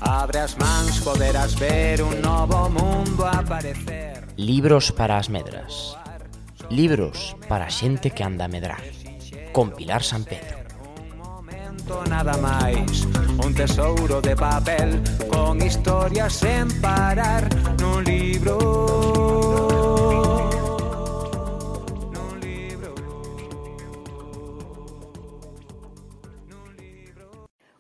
Abre as mans, poderás ver un novo mundo aparecer. Libros para as medras. Libros para a xente que anda a medrar. Con Pilar San Pedro. Un momento nada máis, un tesouro de papel con historias sen parar nun libro. Nun libro.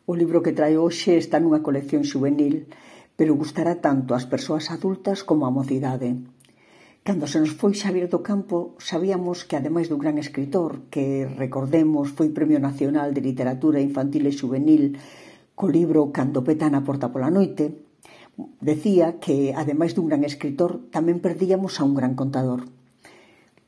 O libro que trae hoxe está nunha colección xuvenil, pero gustará tanto ás persoas adultas como á mocidade. Cando se nos foi Xavier do Campo, sabíamos que, ademais dun gran escritor, que, recordemos, foi Premio Nacional de Literatura Infantil e Xuvenil co libro Cando peta na porta pola noite, decía que, ademais dun gran escritor, tamén perdíamos a un gran contador.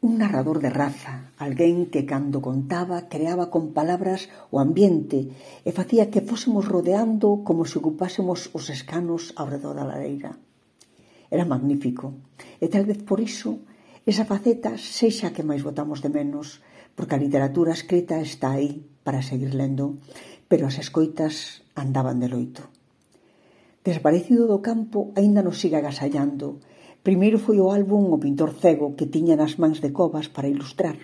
Un narrador de raza, alguén que, cando contaba, creaba con palabras o ambiente e facía que fósemos rodeando como se ocupásemos os escanos ao redor da lareira. Era magnífico, e tal vez por iso esa faceta sexa que máis botamos de menos, porque a literatura escrita está aí para seguir lendo, pero as escoitas andaban de loito. Desaparecido do Campo aínda nos sigue agasallando. Primeiro foi o álbum O pintor cego que tiña nas mans de Covas para ilustrar.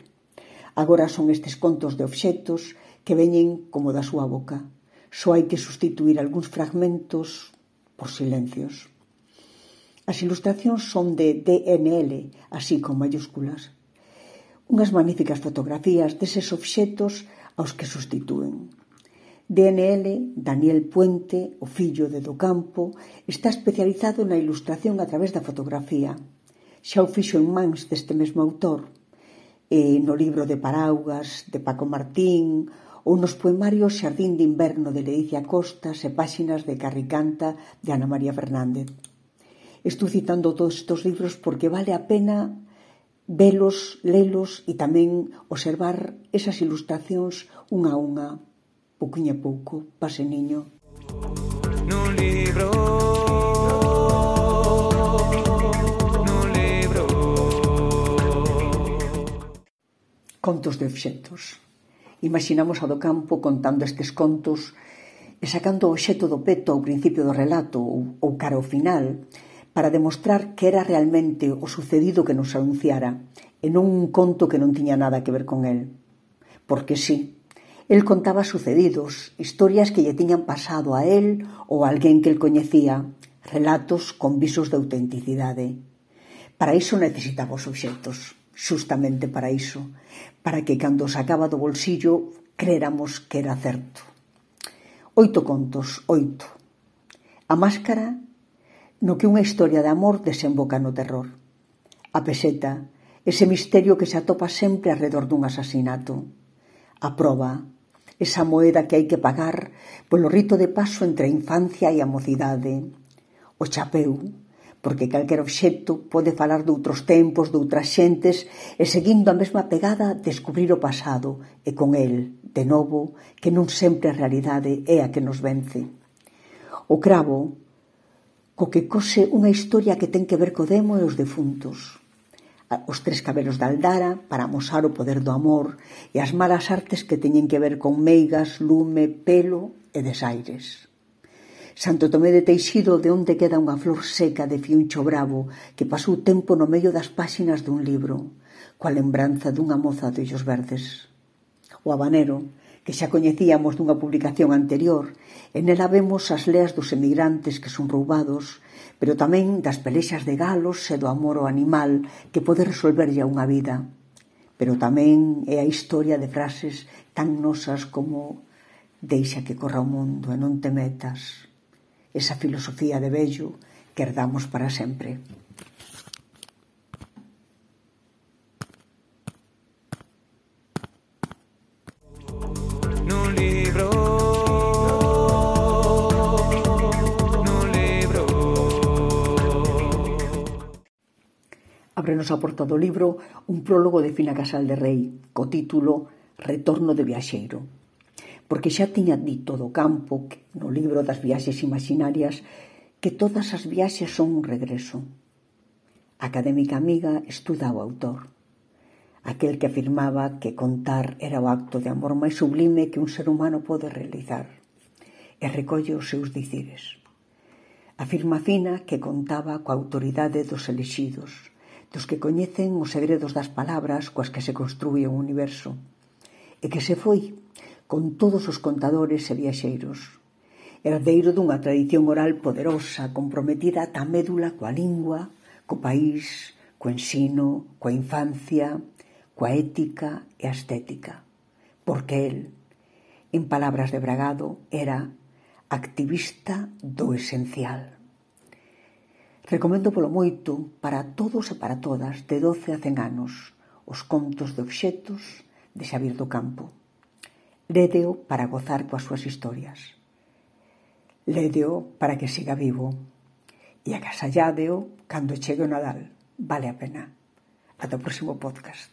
Agora son estes contos de obxectos que veñen como da súa boca. Só hai que sustituir algúns fragmentos por silencios. As ilustracións son de DNL, así con mayúsculas. Unhas magníficas fotografías deses obxectos aos que sustitúen. DNL, Daniel Puente, o fillo de Do Campo, está especializado na ilustración a través da fotografía. Xa o fixo en mans deste mesmo autor, no libro de Paraugas, de Paco Martín, ou nos poemarios Xardín de Inverno de Ledicia Costas e Páxinas de Carricanta de Ana María Fernández. Estou citando todos estes libros porque vale a pena velos, lelos e tamén observar esas ilustracións unha a unha, pouquiño a pouco, paseniño. Nun libro. Nun libro. Contos de obxectos. Imaginamos a Do Campo contando estes contos e sacando o obxecto do peto ao principio do relato ou cara ao final, para demostrar que era realmente o sucedido que nos anunciara e non un conto que non tiña nada que ver con el. Porque sí, el contaba sucedidos, historias que lle tiñan pasado a el ou a alguén que el coñecía, relatos con visos de autenticidade. Para iso necesitaba os obxectos, xustamente para iso, para que cando sacaba do bolsillo créramos que era certo. 8 contos, 8. A máscara no que unha historia de amor desemboca no terror. A peseta, ese misterio que se atopa sempre arredor dun asasinato. A proba, esa moeda que hai que pagar polo rito de paso entre a infancia e a mocidade. O chapeu, porque calquer obxecto pode falar doutros tempos, doutras xentes, e seguindo a mesma pegada descubrir o pasado, e con el, de novo, que non sempre a realidade é a que nos vence. O cravo, co que cose unha historia que ten que ver co demo e os defuntos. Os 3 cabelos de Aldara para amosar o poder do amor e as malas artes que teñen que ver con meigas, lume, pelo e desaires. Santo Tomé de Teixido, de onde queda unha flor seca de Fiuncho Bravo que pasou tempo no medio das páxinas dun libro, coa lembranza dunha moza de ollos verdes. O habanero, que xa coñecíamos dunha publicación anterior, e nela vemos as leas dos emigrantes que son roubados, pero tamén das pelexas de galos e do amor ao animal que pode resolverlle unha vida. Pero tamén é a historia de frases tan nosas como «Deixa que corra o mundo e non te metas», esa filosofía de vello que herdamos para sempre. Nun libro. Nun libro. Ábrenos a porta do libro un prólogo de Fina Casal de Rei, co título Retorno de viaxeiro. Porque xa tiña dito Do Campo, no libro das viaxes imaginarias, que todas as viaxes son un regreso. A académica amiga estuda o autor. Aquel que afirmaba que contar era o acto de amor máis sublime que un ser humano pode realizar. E recolle os seus dicires. A firma fina que contaba coa autoridade dos elixidos, dos que coñecen os segredos das palabras coas que se construye o universo, e que se foi con todos os contadores e viaxeiros, herdeiro dunha tradición oral poderosa, comprometida ata a médula coa lingua, co país, co ensino, coa infancia, coa ética e a estética, porque el, en palabras de Bragado, era activista do esencial. Recomendo polo moito para todos e para todas de 12 a 100 anos os contos de obxetos de Xavier do Campo. Lédeo para gozar coas súas historias. Lédeo para que siga vivo. E agasalládeo cando chegue o Nadal. Vale a pena. Ata o próximo podcast.